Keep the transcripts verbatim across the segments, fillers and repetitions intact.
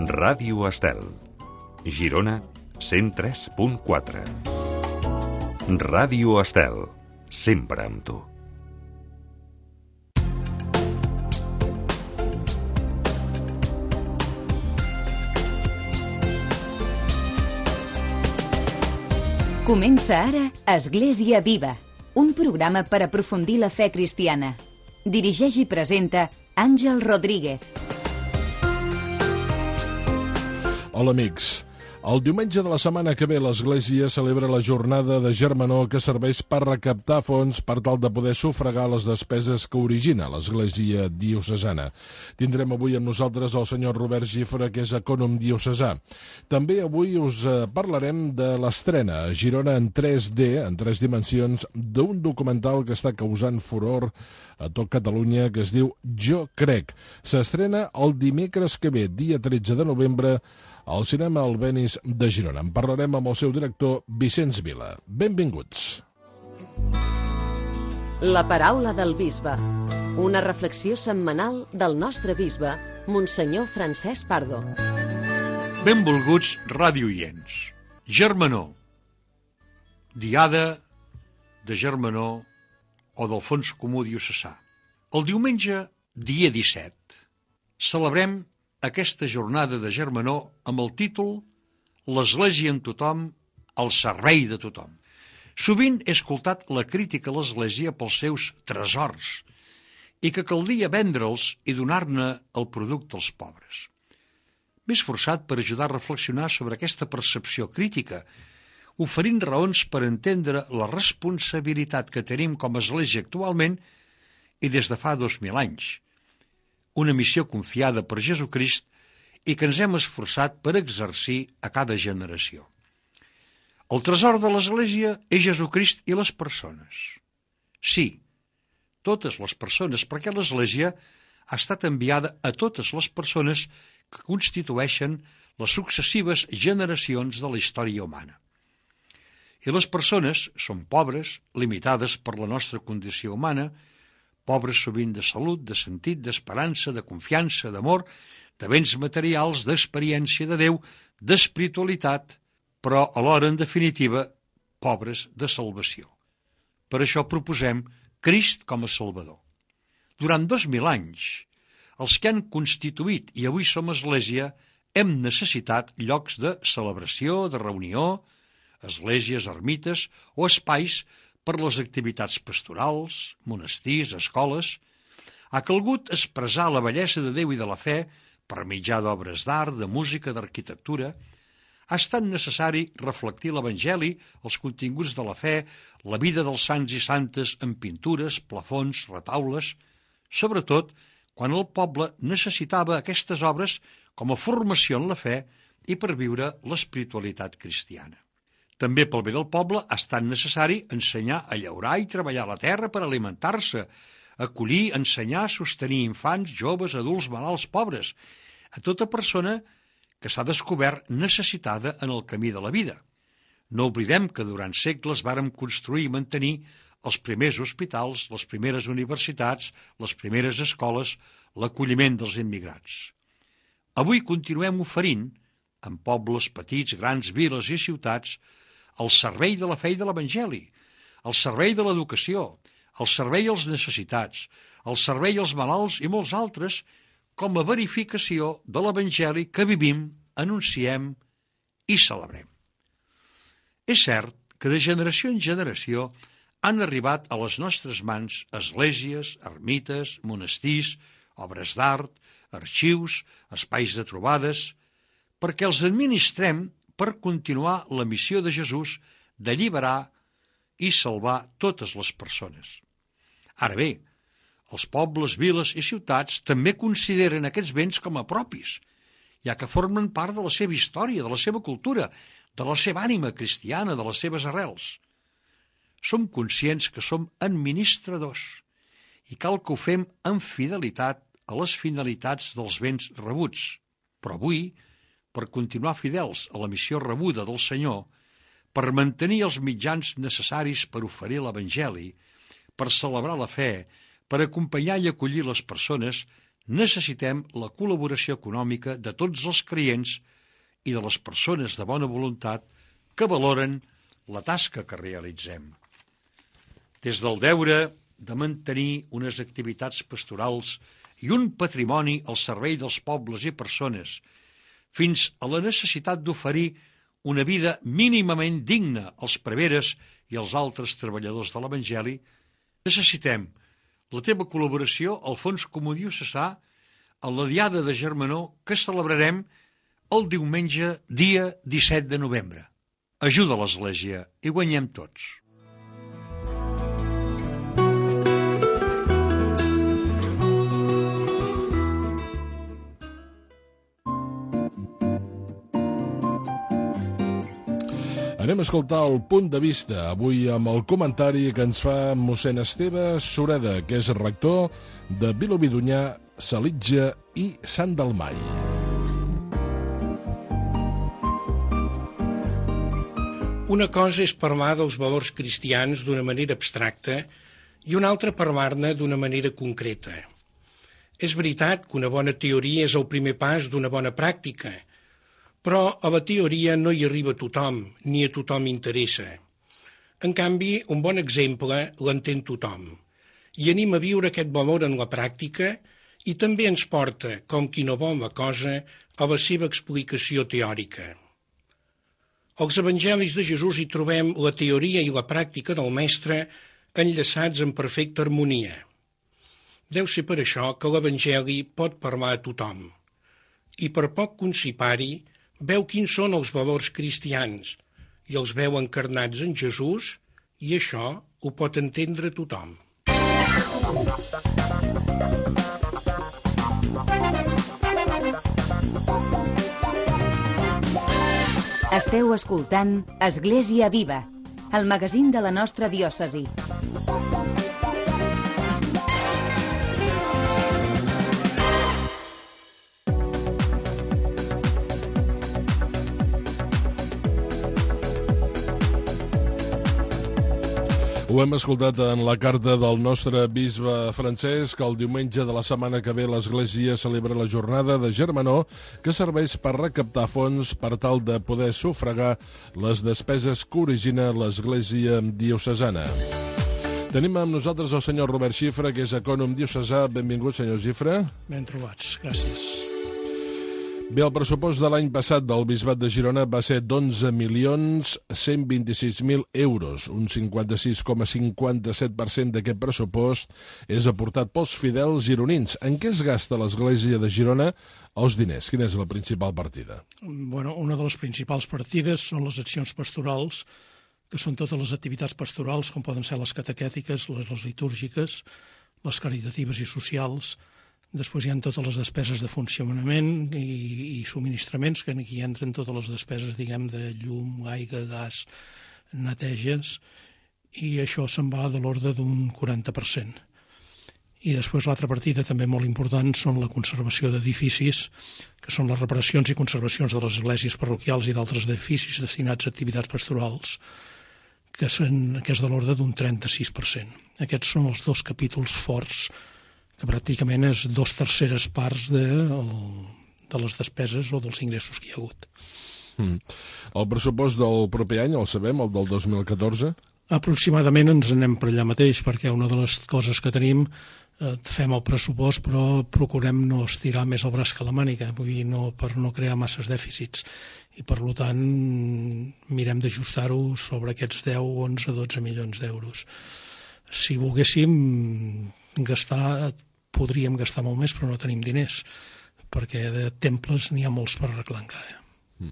Ràdio Estel, Girona, cent tres punt quatre. Ràdio Estel, sempre amb tu. Comença ara Església Viva, un programa per aprofundir la fe cristiana. Dirigeix i presenta Àngel Rodríguez. Hola, amics. El diumenge de la setmana que ve l'Església celebra la jornada de germanor que serveix per recaptar fons per tal de poder sufragar les despeses que origina l'Església diocesana. Tindrem avui amb nosaltres el senyor Robert Gifra, que és ecònom diocesà. També avui us parlarem de l'estrena a Girona en tres D, en tres dimensions, d'un documental que està causant furor a tot Catalunya, que es diu Jo Crec. S'estrena el dimecres que ve, dia tretze de novembre, al cinema Albéniz de Girona. En parlarem amb el seu director, Vicenç Vila. Benvinguts. La paraula del bisbe. Una reflexió setmanal del nostre bisbe, Monsenyor Francesc Pardo. Benvolguts radioients. Germanor. Diada de Germanor o del Fons Comú Diocesà. El diumenge, dia disset, celebrem aquesta jornada de germanor amb el títol «L'Església amb tothom, al servei de tothom». Sovint he escoltat la crítica a l'Església pels seus tresors i que caldia vendre'ls i donar-ne el producte als pobres. M'he esforçat per ajudar a reflexionar sobre aquesta percepció crítica, oferint raons per entendre la responsabilitat que tenim com a Església actualment i des de fa dos mil anys. Una missió confiada per Jesucrist i que ens hem esforçat per exercir a cada generació. El tresor de l'Església és Jesucrist i les persones. Sí, totes les persones, perquè l'Església ha estat enviada a totes les persones que constitueixen les successives generacions de la història humana. I les persones són pobres, limitades per la nostra condició humana, pobres sovint de salut, de sentit, d'esperança, de confiança, d'amor, de béns materials, d'experiència de Déu, d'espiritualitat, però alhora, en definitiva, pobres de salvació. Per això proposem Crist com a Salvador. Durant dos mil anys, els que han constituït i avui som Església, hem necessitat llocs de celebració, de reunió, esglésies, ermites o espais per les activitats pastorals, monestirs, escoles. Ha calgut expressar la bellesa de Déu i de la fe per mitjà d'obres d'art, de música, d'arquitectura. Ha estat necessari reflectir l'Evangeli, els continguts de la fe, la vida dels sants i santes en pintures, plafons, retaules, sobretot quan el poble necessitava aquestes obres com a formació en la fe i per viure l'espiritualitat cristiana. També pel bé del poble ha estat necessari ensenyar a llaurar i treballar la terra per alimentar-se, acollir, ensenyar, sostenir infants, joves, adults, malalts, pobres, a tota persona que s'ha descobert necessitada en el camí de la vida. No oblidem que durant segles vàrem construir i mantenir els primers hospitals, les primeres universitats, les primeres escoles, l'acolliment dels immigrants. Avui continuem oferint, en pobles petits, grans, viles i ciutats, al servei de la fe i de l'Evangeli, al servei de l'educació, al servei als necessitats, al servei als malalts i molts altres, com a verificació de l'Evangeli que vivim, anunciem i celebrem. És cert que de generació en generació han arribat a les nostres mans esglésies, ermites, monestirs, obres d'art, arxius, espais de trobades, perquè els administrem per continuar la missió de Jesús d'alliberar i salvar totes les persones. Ara bé, els pobles, viles i ciutats també consideren aquests béns com a propis, ja que formen part de la seva història, de la seva cultura, de la seva ànima cristiana, de les seves arrels. Som conscients que som administradors i cal que ho fem amb fidelitat a les finalitats dels béns rebuts. Però avui, per continuar fidels a la missió rebuda del Senyor, per mantenir els mitjans necessaris per oferir l'Evangeli, per celebrar la fe, per acompanyar i acollir les persones, necessitem la col·laboració econòmica de tots els creients i de les persones de bona voluntat que valoren la tasca que realitzem. Des del deure de mantenir unes activitats pastorals i un patrimoni al servei dels pobles i persones, fins a la necessitat d'oferir una vida mínimament digna als preveres i als altres treballadors de l'Evangeli, necessitem la teva col·laboració al Fons Comú Diocesà en la Diada de Germanor que celebrarem el diumenge dia disset de novembre. Ajuda l'Església i guanyem tots. Anem a escoltar el punt de vista, avui amb el comentari que ens fa mossèn Esteve Sureda, que és rector de Vilobí d'Onyar, Salitja i Sant Dalmai. Una cosa és parlar dels valors cristians d'una manera abstracta i una altra parlar-ne d'una manera concreta. És veritat que una bona teoria és el primer pas d'una bona pràctica, però a la teoria no hi arriba tothom, ni a tothom interessa. En canvi, un bon exemple l'entén tothom, i anima a viure aquest valor en la pràctica i també ens porta, com qui no vol la cosa, a la seva explicació teòrica. Als evangelis de Jesús hi trobem la teoria i la pràctica del Mestre enllaçats en perfecta harmonia. Deu ser per això que l'Evangeli pot parlar a tothom. I per poc concipari, veu quins són els valors cristians i els veu encarnats en Jesús, i això ho pot entendre tothom. Esteu escoltant Església Viva, el magazín de la nostra diòcesi. Ho hem escoltat en la carta del nostre bisbe Francesc, que el diumenge de la setmana que ve l'Església celebra la jornada de Germanor, que serveix per recaptar fons per tal de poder sufragar les despeses que origina l'Església diocesana. Tenim amb nosaltres el senyor Robert Xifra, que és ecònom diocesà. Benvingut, senyor Xifra. Ben trobats, gràcies. Bé, el pressupost de l'any passat del Bisbat de Girona va ser d'onze milions cent vint-i-sis mil euros. Un cinquanta-sis coma cinquanta-set per cent d'aquest pressupost és aportat pels fidels gironins. En què es gasta l'Església de Girona els diners? Quina és la principal partida? Bueno, una de les principals partides són les accions pastorals, que són totes les activitats pastorals, com poden ser les catequètiques, les, les litúrgiques, les caritatives i socials. Després hi ha totes les despeses de funcionament i, i subministraments, que aquí entren totes les despeses, diguem, de llum, aigua, gas, neteges, i això se'n va de l'ordre d'un quaranta per cent. I després l'altra partida també molt important són la conservació d'edificis, que són les reparacions i conservacions de les esglésies parroquials i d'altres edificis destinats a activitats pastorals, que, són, que és de l'ordre d'un trenta-sis per cent. Aquests són els dos capítols forts, que pràcticament és dos terceres parts de, de les despeses o dels ingressos que hi ha hagut. Mm. El pressupost del proper any, el sabem, el del dos mil catorze? Aproximadament ens anem per allà mateix, perquè una de les coses que tenim, eh, fem el pressupost, però procurem no estirar més el braç que la màniga, vull dir, no, per no crear masses dèficits. I per tant mirem d'ajustar-ho sobre aquests deu, onze, dotze milions d'euros. Si volguéssim gastar, podríem gastar molt més, però no tenim diners, perquè de temples n'hi ha molts per arreglar encara. Mm.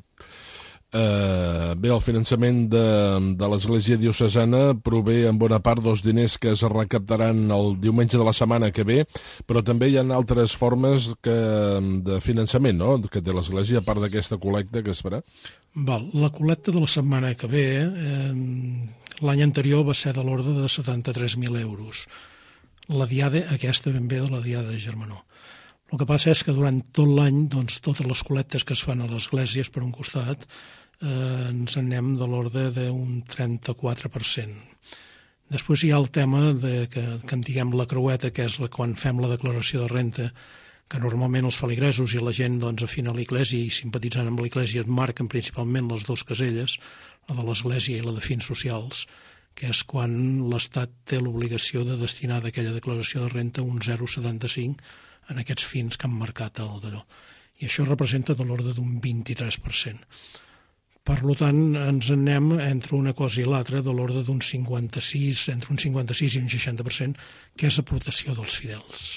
Uh, bé, el finançament de, de l'Església diocesana prové en bona part dels diners que es recaptaran el diumenge de la setmana que ve, però també hi ha altres formes que, de finançament, no?, que té l'Església, a part d'aquesta col·lecta que es farà. Val, la col·lecta de la setmana que ve, eh, l'any anterior va ser de l'ordre de setanta-tres mil euros. La diada, aquesta ben bé de la diada de Germanor. El que passa és que durant tot l'any, doncs, totes les col·lectes que es fan a les esglésies, per un costat, eh, ens anem de l'ordre d'un trenta-quatre per cent. Després hi ha el tema de que, que en diguem la creueta, que és la, quan fem la declaració de renta, que normalment els feligresos i la gent doncs, afina a l'Església i simpatitzant amb l'Església es marquen principalment les dues caselles, la de l'Església i la de fins socials, que és quan l'Estat té l'obligació de destinar d'aquella declaració de renta un zero coma setanta-cinc en aquests fins que han marcat el d'allò. I això representa de l'ordre d'un vint-i-tres per cent. Per tant, ens anem entre una cosa i l'altra de l'ordre d'un cinquanta-sis, entre un cinquanta-sis i un seixanta per cent, que és aportació dels fidels.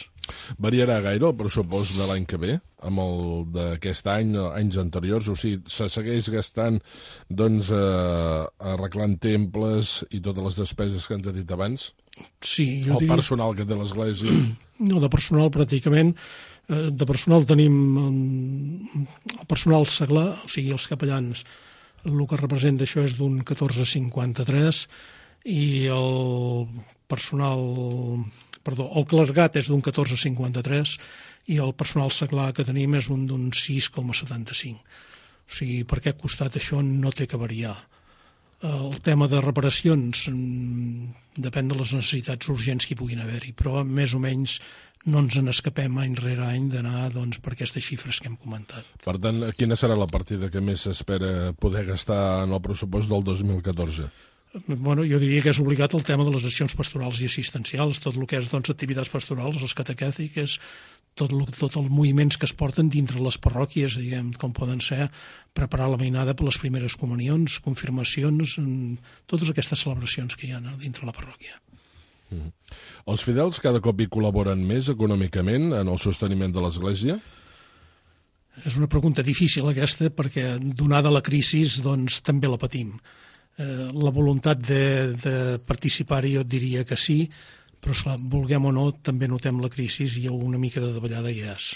Variarà gaire el pressupost de l'any que ve amb el d'aquest any, anys anteriors? O sigui, se segueix gastant doncs, eh, arreglant temples i totes les despeses que ens ha dit abans? Sí, jo el diria... personal que té l'Església? No, de personal pràcticament. De personal tenim el personal seglar, o sigui, els capellans, el que representa això és d'un catorze coma cinquanta-tres i el personal, perdó, el clergat és d'un catorze coma cinquanta-tres i el personal seglar que tenim és un d'un sis coma setanta-cinc. O sigui, per aquest costat això no té que variar. El tema de reparacions depèn de les necessitats urgents que hi puguin haver-hi, però més o menys no ens n'escapem any rere any d'anar doncs, per aquestes xifres que hem comentat. Per tant, quina serà la partida que més s'espera poder gastar en el pressupost del dos mil catorze? Bueno, jo diria que és obligat el tema de les accions pastorals i assistencials, tot el que és doncs, activitats pastorals, les catequètiques, tot, el, tot els moviments que es porten dintre les parròquies, diguem, com poden ser preparar la mainada per les primeres comunions, confirmacions, totes aquestes celebracions que hi ha dintre la parròquia. Mm. Els fidels cada cop hi col·laboren més econòmicament en el sosteniment de l'Església? És una pregunta difícil aquesta perquè donada la crisi doncs, també la patim. Eh, la voluntat de, de participar-hi jo et diria que sí, però esclar, vulguem o no, també notem la crisi i una mica de davallada hi és.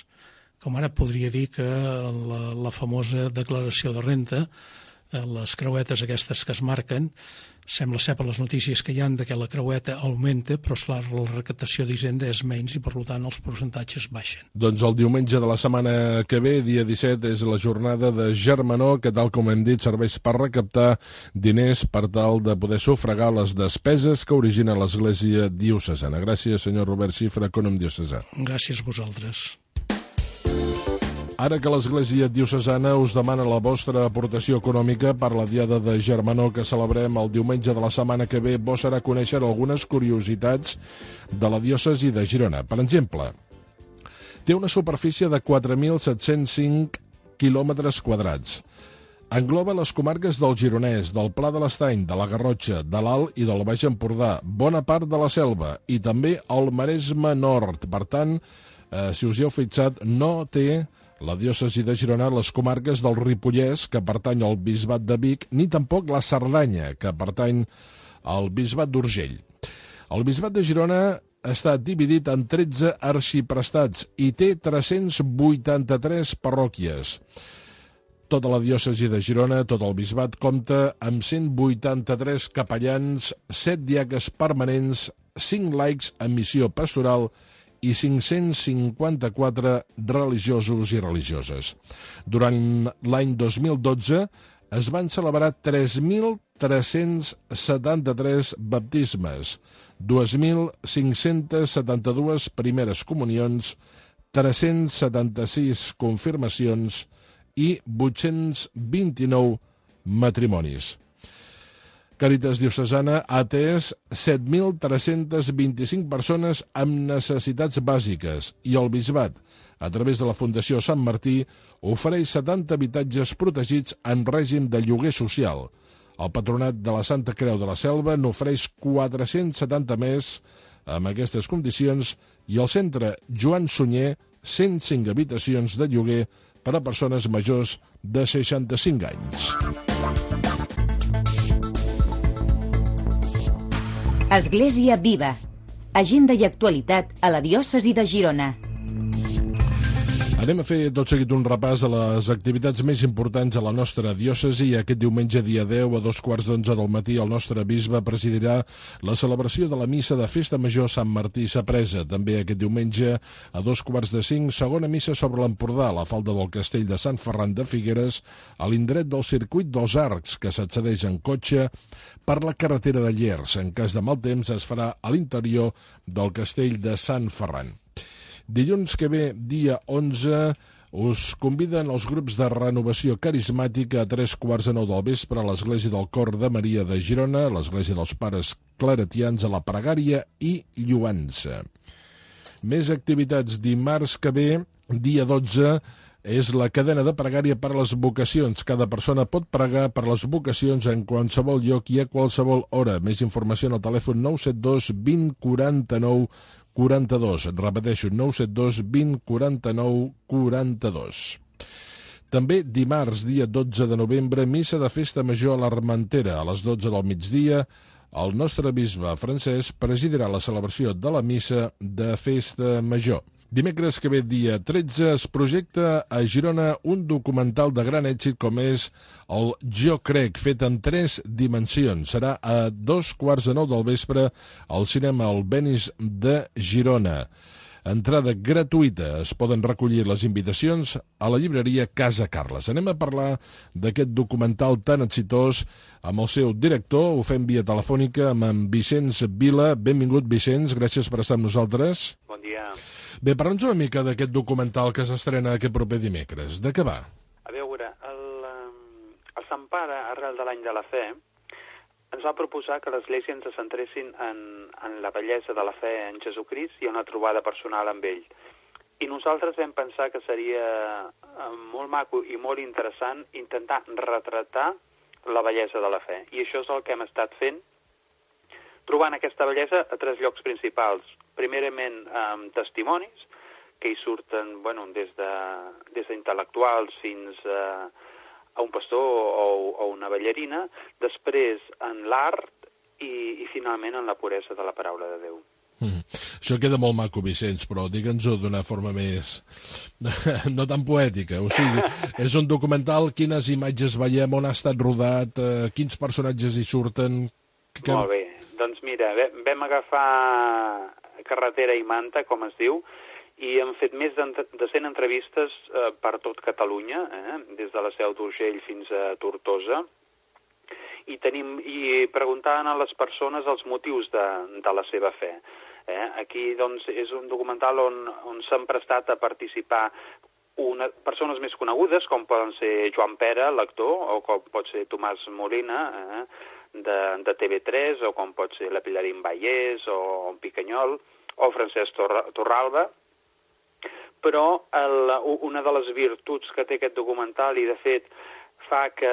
Com ara podria dir que la, la famosa declaració de renta, eh, les creuetes aquestes que es marquen, sembla ser per les notícies que hi ha que la creueta augmenta, però esclar, la recaptació d'Hisenda és menys i per tant els percentatges baixen. Doncs el diumenge de la setmana que ve, dia disset, és la jornada de Germanor, que tal com hem dit serveix per recaptar diners per tal de poder sufragar les despeses que origina l'Església diocesana. Gràcies, senyor Robert Xifra, ecònom diocesà. Gràcies a vosaltres. Ara que l'Església diocesana us demana la vostra aportació econòmica per la Diada de Germanor que celebrem el diumenge de la setmana que ve, bo serà conèixer algunes curiositats de la diòcesi de Girona. Per exemple, té una superfície de quatre mil set-cents cinc quilòmetres quadrats. Engloba les comarques del Gironès, del Pla de l'Estany, de la Garrotxa, de l'Alt i del Baix Empordà, bona part de la Selva i també el Maresme Nord. Per tant, eh, si us hi heu fixat, no té la diòcesi de Girona les comarques del Ripollès, que pertany al bisbat de Vic, ni tampoc la Cerdanya, que pertany al bisbat d'Urgell. El bisbat de Girona està dividit en tretze arxiprestats i té tres-cents vuitanta-tres parròquies. Tota la diòcesi de Girona, tot el bisbat, compta amb cent vuitanta-tres capellans, set diaques permanents, cinc laics en missió pastoral i cinc-cents cinquanta-quatre religiosos i religioses. Durant l'any dos mil dotze es van celebrar tres mil tres-cents setanta-tres baptismes, dos mil cinc-cents setanta-dues primeres comunions, tres-cents setanta-sis confirmacions i vuit-cents vint-i-nou matrimonis. Càritas Diocesana ha atès set mil tres-cents vint-i-cinc persones amb necessitats bàsiques i el bisbat, a través de la Fundació Sant Martí, ofereix setanta habitatges protegits en règim de lloguer social. El Patronat de la Santa Creu de la Selva n'ofereix quatre-cents setanta més amb aquestes condicions i el Centre Joan Sunyer cent cinc habitacions de lloguer per a persones majors de seixanta-cinc anys. Església Viva. Agenda i actualitat a la diòcesi de Girona. Anem a fer tot seguit un repàs a les activitats més importants a la nostra diòcesi i aquest diumenge dia deu a dos quarts d'onze del matí el nostre bisbe presidirà la celebració de la missa de Festa Major Sant Martí Sapresa. També aquest diumenge a dos quarts de cinc, segona missa sobre l'Empordà, a la falda del castell de Sant Ferran de Figueres, a l'indret del circuit dels Arcs, que s'accedeix en cotxe per la carretera de Llers. En cas de mal temps es farà a l'interior del castell de Sant Ferran. Dilluns que ve, dia onze, us conviden els grups de renovació carismàtica a tres quarts de nou del vespre a l'Església del Cor de Maria de Girona, a l'Església dels Pares Claretians, a la Pregària i Lloança. Més activitats. Dimarts que ve, dia dotze, és la cadena de pregària per a les vocacions. Cada persona pot pregar per les vocacions en qualsevol lloc i a qualsevol hora. Més informació al telèfon nou set dos vint quaranta-nou quaranta-dos. Repeteixo, nou set dos vint quaranta-nou quaranta-dos. També dimarts, dia dotze de novembre, missa de festa major a l'Armentera. A les dotze del migdia, el nostre bisbe Francesc presidirà la celebració de la missa de festa major. Dimecres que ve, dia tretze, es projecta a Girona un documental de gran èxit com és el Jo Crec, fet en tres dimensions. Serà a dos quarts de nou del vespre al cinema Albéniz de Girona. Entrada gratuïta. Es poden recollir les invitacions a la llibreria Casa Carles. Anem a parlar d'aquest documental tan exitós amb el seu director. Ho fem via telefònica amb en Vicenç Vila. Benvingut, Vicenç. Gràcies per estar amb nosaltres. Bon dia. Bé, parla'ns una mica d'aquest documental que s'estrena aquest proper dimecres. De què va? A veure, el, el Sant Pare, arrel de l'any de la fe, ens va proposar que l'Església ens centressin en, en la bellesa de la fe en Jesucrist i una trobada personal amb ell. I nosaltres vam pensar que seria molt maco i molt interessant intentar retratar la bellesa de la fe. I això és el que hem estat fent, trobant aquesta bellesa a tres llocs principals. Primerament, amb testimonis, que hi surten bueno, des de, des d'intel·lectuals fins a, a un pastor o, o una ballarina, després en l'art i, i finalment en la puresa de la paraula de Déu. Mm. Això queda molt maco, Vicenç, però digue'ns-ho d'una forma més... no tan poètica. O sigui, és un documental, quines imatges veiem, on ha estat rodat, eh, quins personatges hi surten... Que... Molt bé. Doncs mira, vam agafar carretera i manta, com es diu, i hem fet més de cent entrevistes eh, per tot Catalunya, eh, des de la Seu d'Urgell fins a Tortosa, i, tenim, i preguntaven a les persones els motius de, de la seva fe. Eh? Aquí doncs, és un documental on, on s'han prestat a participar una, persones més conegudes, com poden ser Joan Pera, l'actor, o com pot ser Tomàs Molina, eh? de, de T V tres, o com pot ser la Pilarín Vallès, o en Picanyol, o Francesc Torralba. Però el, una de les virtuts que té aquest documental, i de fet fa que,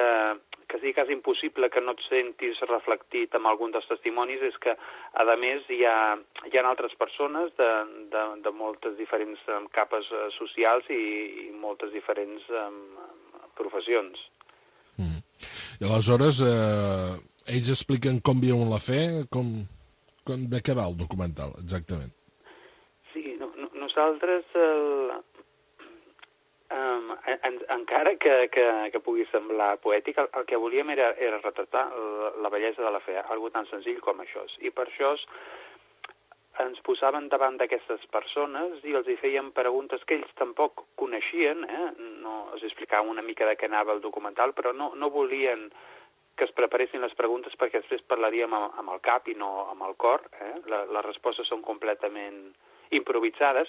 que sigui quasi impossible que no et sentis reflectit amb algun dels testimonis, és que, a més, hi ha, hi ha altres persones de, de, de moltes diferents um, capes uh, socials i, i moltes diferents um, professions. Mm. I aleshores, eh, ells expliquen com viuen la fe, com, com, de què va el documental, exactament? Sí, no, no, nosaltres, el, um, en, encara que, que, que pugui semblar poètic, el, el que volíem era, era retratar la, la bellesa de la fe, algo tan senzill com això. I per això ens posaven davant d'aquestes persones i els hi feien preguntes que ells tampoc coneixien, eh? No, els explicaven una mica de què anava el documental, però no, no volien que es preparessin les preguntes perquè després parlaríem amb, amb el cap i no amb el cor. Eh? La, les respostes són completament improvisades,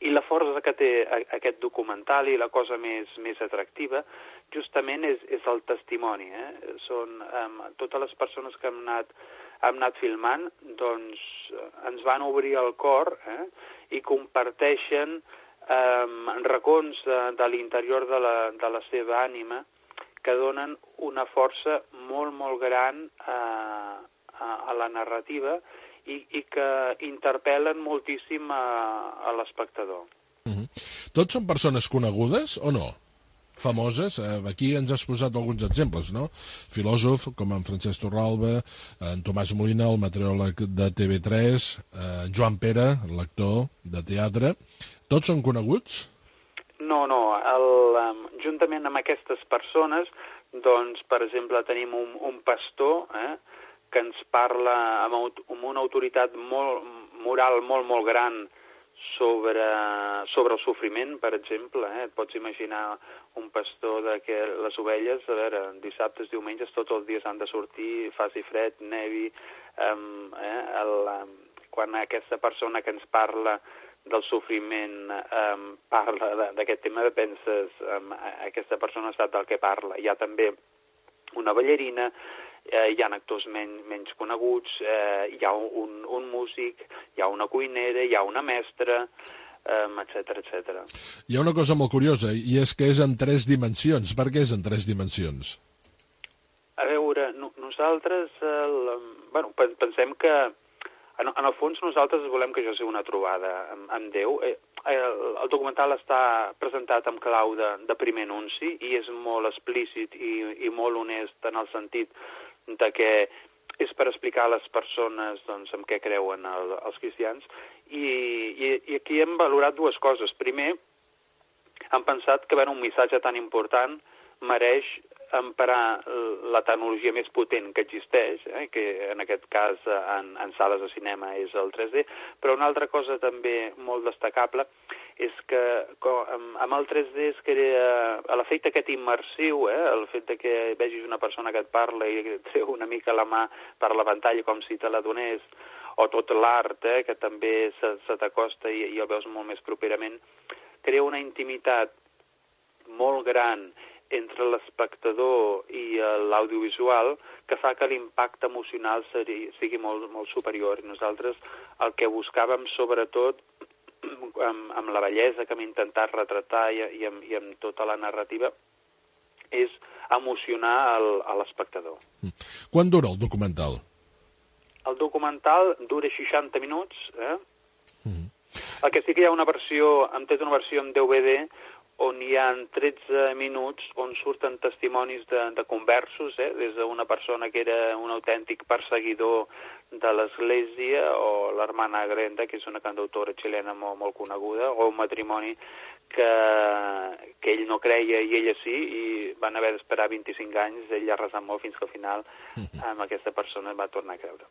i la força que té aquest documental i la cosa més, més atractiva justament és, és el testimoni. Eh? Són um, totes les persones que hem anat, hem anat filmant, doncs ens van obrir el cor, eh? I comparteixen um, racons de, de l'interior de la, de la seva ànima que donen una força molt, molt gran a, a, a la narrativa i, i que interpel·len moltíssim a, a l'espectador. Mm-hmm. Tots són persones conegudes o no? Famoses? Eh, aquí ens has posat alguns exemples, no? Filòsof, com en Francesc Torralba, en Tomàs Molina, el meteoròleg de T V tres, eh, Joan Pera, l'actor de teatre. Tots són coneguts? No, no. El, um, juntament amb aquestes persones, doncs, per exemple, tenim un, un pastor, eh, que ens parla amb, amb una autoritat molt, moral molt, molt gran sobre, sobre el sofriment, per exemple. Eh? Et pots imaginar un pastor de que les ovelles, a veure, dissabtes, diumenges, tots els dies han de sortir, faci fred, nevi, um, eh? el, um, quan aquesta persona que ens parla del sofriment eh, parla d'aquest tema, penses, eh, aquesta persona sap del que parla. Hi ha també una ballarina, eh, hi ha actors men menys coneguts, eh, hi ha un, un músic, hi ha una cuinera, hi ha una mestra, etcètera, etcètera. Hi ha una cosa molt curiosa, i és que és en tres dimensions. Per què és en tres dimensions? A veure, no, nosaltres el, bueno, pensem que en, en el fons nosaltres volem que això sigui una trobada amb, amb Déu. Eh, el, el documental està presentat amb clau de, de primer anunci i és molt explícit i, i molt honest en el sentit de que és per explicar a les persones doncs, en què creuen el, els cristians. I, i, I aquí hem valorat dues coses. Primer, hem pensat que un missatge tan important mereix emparar la tecnologia més potent que existeix, eh, que en aquest cas en, en sales de cinema és el tres D, però una altra cosa també molt destacable és que com, amb el tres D es crea l'efecte aquest immersiu, eh, el fet de que vegis una persona que et parla i et treu una mica la mà per la pantalla com si te la donés, o tot l'art, eh, que també se, se t'acosta i, i el veus molt més properament, crea una intimitat molt gran entre l'espectador i l'audiovisual que fa que l'impacte emocional sigui, sigui molt, molt superior. I nosaltres el que buscàvem sobretot amb, amb la bellesa que hem intentat retratar i, i, amb, i amb tota la narrativa és emocionar el, a l'espectador. Quant dura el documental? El documental dura seixanta minuts, eh? Mm. El que sí que hi ha una versió, hem fet una versió en D V D on hi ha tretze minuts on surten testimonis de, de conversos, eh? Des d'una persona que era un autèntic perseguidor de l'Església, o l'hermana Grenda, que és una cantautora xilena molt, molt coneguda, o un matrimoni que, que ell no creia i ella sí, i van haver d'esperar vint-i-cinc anys, ell ha resat molt fins que al final amb aquesta persona va tornar a creure.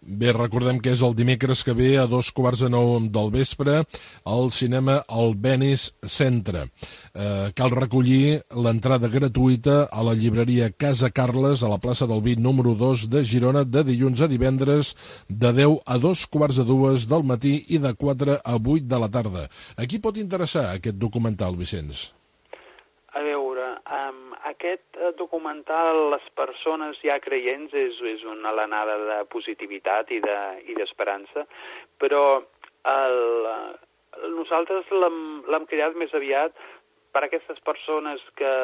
Bé, recordem que és el dimecres que ve a dos quarts de nou del vespre al cinema Albéniz Centre. Eh, cal recollir l'entrada gratuïta a la llibreria Casa Carles a la plaça del Vi número dos de Girona de dilluns a divendres de deu a dos quarts de dues del matí i de quatre a vuit de la tarda. A qui pot interessar aquest documental, Vicenç? A veure, um, aquest documental, les persones ja creients, és, és una alenada de positivitat i d'esperança, de, però el, nosaltres l'hem creat més aviat per a aquestes persones que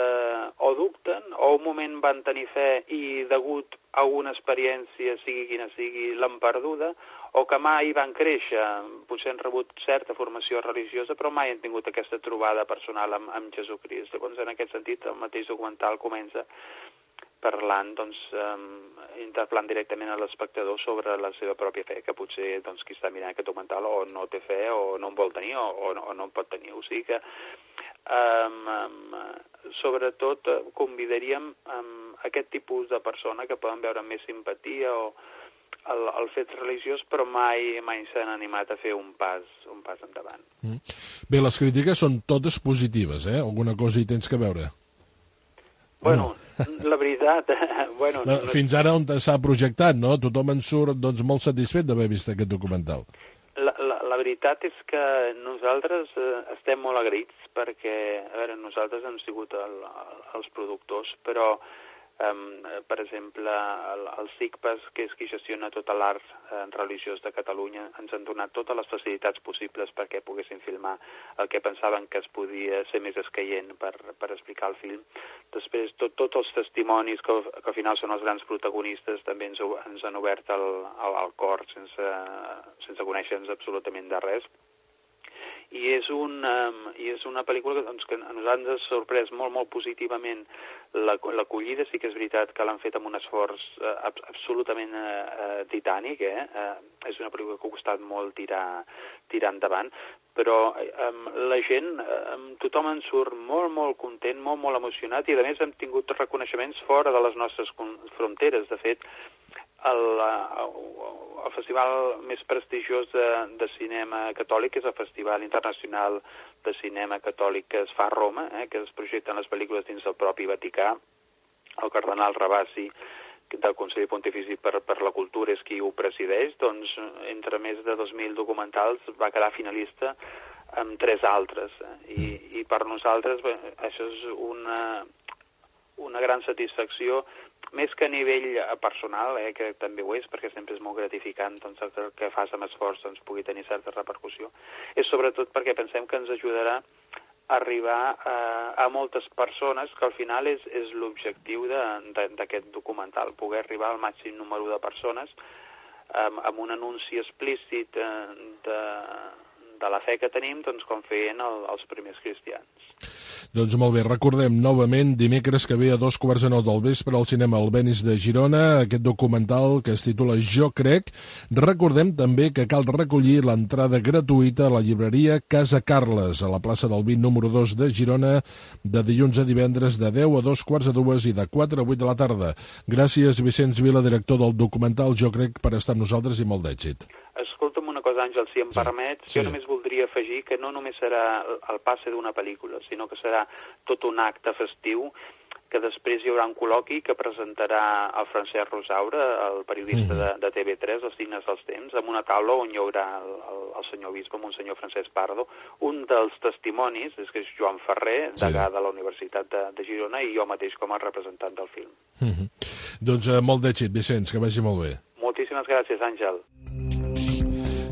o dubten o un moment van tenir fe i degut a una experiència, sigui quina sigui, l'han perduda, o que mai van créixer, potser han rebut certa formació religiosa, però mai han tingut aquesta trobada personal amb, amb Jesucrist. Llavors, en aquest sentit, el mateix documental comença parlant, doncs, eh, interpel·lant directament a l'espectador sobre la seva pròpia fe, que potser doncs, qui està mirant aquest documental o no té fe, o no en vol tenir, o, o, no, o no en pot tenir. O sigui que, um, um, sobretot, convidaríem um, aquest tipus de persona que poden veure més simpatia o el, el fet religiós, però mai mai s'han animat a fer un pas, un pas endavant. Mm. Bé, les crítiques són totes positives, eh? Alguna cosa hi tens que veure? Bueno, bueno. La veritat... bueno, la, no... Fins ara on s'ha projectat, no? Tothom en surt doncs, molt satisfet d'haver vist aquest documental. La, la, la veritat és que nosaltres eh, estem molt agraïts perquè, a veure, nosaltres hem sigut el, el, els productors, però Um, per exemple, el, el SICPAS, que és qui gestiona tot l'art eh, religiós de Catalunya, ens han donat totes les facilitats possibles perquè poguessin filmar el que pensaven que es podia ser més escaient per, per explicar el film. Després, tot, tots els testimonis, que, que al final són els grans protagonistes, també ens, ens han obert el, el, el cor sense, sense conèixer-nos absolutament de res. I és, un, um, i és una pel·lícula que, doncs, que a nosaltres ens ha sorprès molt, molt positivament l'acollida. Sí que és veritat que l'han fet amb un esforç uh, absolutament uh, titànic, eh? Uh, és una pel·lícula que ha costat molt tirar, tirar endavant, però um, la gent, um, tothom en surt molt, molt content, molt, molt emocionat, i a més hem tingut reconeixements fora de les nostres fronteres. De fet, El, el festival més prestigiós de, de cinema catòlic és el Festival Internacional de Cinema Catòlic que es fa a Roma, eh, que es projecten les pel·lícules dins del propi Vaticà. El cardenal Ravasi, del Consell Pontifici per, per la Cultura és qui ho presideix, doncs entre més de dos mil documentals va quedar finalista amb tres altres. I, i per nosaltres bé, això és una, una gran satisfacció, més que a nivell personal, eh, que també ho és, perquè sempre és molt gratificant doncs, el que fas amb esforç doncs, pugui tenir certa repercussió, és sobretot perquè pensem que ens ajudarà a arribar a, a moltes persones, que al final és, és l'objectiu d'aquest documental, poder arribar al màxim número de persones amb, amb un anunci explícit de, de la fe que tenim, doncs, com feien el, els primers cristians. Doncs molt bé, recordem novament, dimecres que ve a dos quarts de nou del vespre al cinema Albéniz de Girona, aquest documental que es titula Jo crec. Recordem també que cal recollir l'entrada gratuïta a la llibreria Casa Carles, a la plaça del Vint número dos de Girona, de dilluns a divendres de deu a dos quarts de dues i de quatre a vuit de la tarda. Gràcies, Vicenç Vila, director del documental Jo crec, per estar amb nosaltres i molt d'èxit. Escolta'm una cosa, Àngel, si em sí, permets, sí. jo només voldria afegir que no només serà el passe d'una pel·lícula, sinó que serà tot un acte festiu, que després hi haurà un col·loqui que presentarà el Francesc Rosaura, el periodista de, de T V tres, els Signes dels Temps, amb una taula on hi haurà el, el, el senyor bisbe, Monsenyor Francesc Pardo. Un dels testimonis és que és Joan Ferrer, degà sí. de la Universitat de, de Girona, i jo mateix com a representant del film. Mm-hmm. Doncs eh, molt d'èxit, Vicenç, que vagi molt bé. Moltíssimes gràcies, Àngel.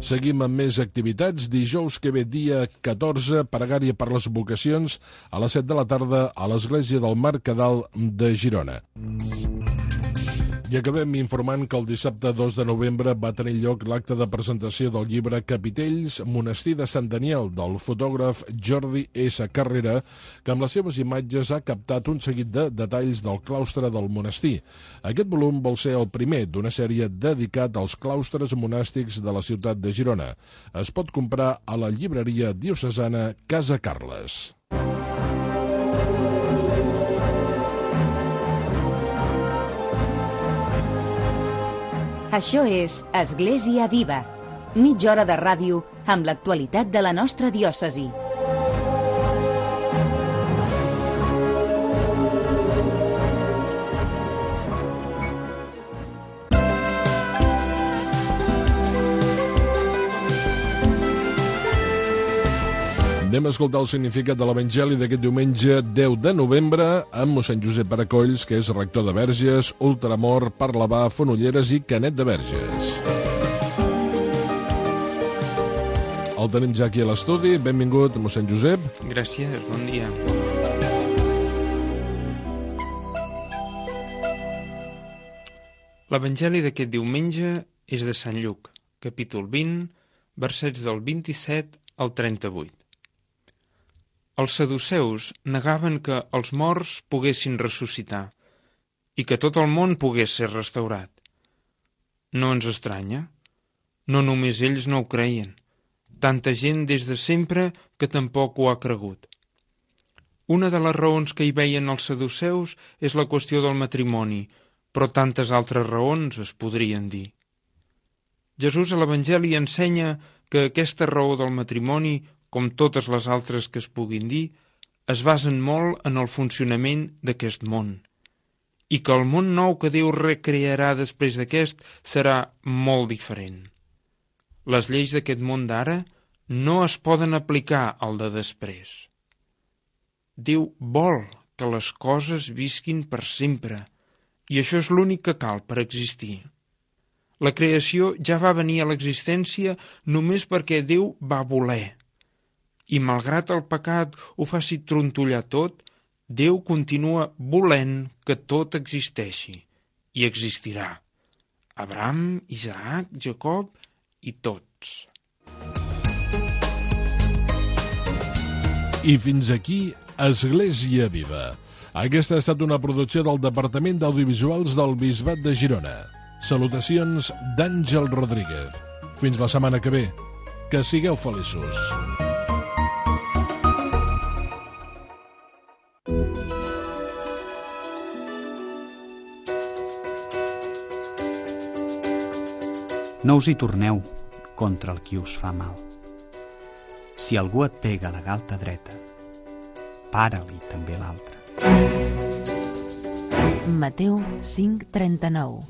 Seguim amb més activitats. Dijous que ve, dia catorze, pregària per les vocacions a les set de la tarda a l'Església del Mercadal de Girona. I acabem informant que el dissabte dos de novembre va tenir lloc l'acte de presentació del llibre Capitells, Monestir de Sant Daniel, del fotògraf Jordi S. Carrera, que amb les seves imatges ha captat un seguit de detalls del claustre del monestir. Aquest volum vol ser el primer d'una sèrie dedicat als claustres monàstics de la ciutat de Girona. Es pot comprar a la llibreria diocesana Casa Carles. Això és Església Viva, mitja hora de ràdio amb l'actualitat de la nostra diòcesi. Anem a escoltar el significat de l'Evangeli d'aquest diumenge deu de novembre amb mossèn Josep Paracolls, que és rector de Verges, Ultramor, Parlavà, Fonolleres i Canet de Verges. El tenim ja aquí a l'estudi. Benvingut, mossèn Josep. Gràcies, bon dia. L'Evangeli d'aquest diumenge és de Sant Lluc, capítol vint, versets del vint-i-set al trenta-vuit. Els saduceus negaven que els morts poguessin ressuscitar i que tot el món pogués ser restaurat. No ens estranya. No només ells no ho creien. Tanta gent des de sempre que tampoc ho ha cregut. Una de les raons que hi veien els saduceus és la qüestió del matrimoni, però tantes altres raons es podrien dir. Jesús a l'Evangeli ensenya que aquesta raó del matrimoni, com totes les altres que es puguin dir, es basen molt en el funcionament d'aquest món, i que el món nou que Déu recrearà després d'aquest serà molt diferent. Les lleis d'aquest món d'ara no es poden aplicar al de després. Déu vol que les coses visquin per sempre, i això és l'únic que cal per existir. La creació ja va venir a l'existència només perquè Déu va voler. I malgrat el pecat ho faci trontollar tot, Déu continua volent que tot existeixi, i existirà. Abraham, Isaac, Jacob i tots. I fins aquí Església Viva. Aquesta ha estat una producció del Departament d'Audiovisuals del Bisbat de Girona. Salutacions d'Àngel Rodríguez. Fins la setmana que ve. Que sigueu feliços. No us hi torneu contra el qui us fa mal. Si algú et pega la galta dreta, para-li també l'altra. Mateu cinc, trenta-nou.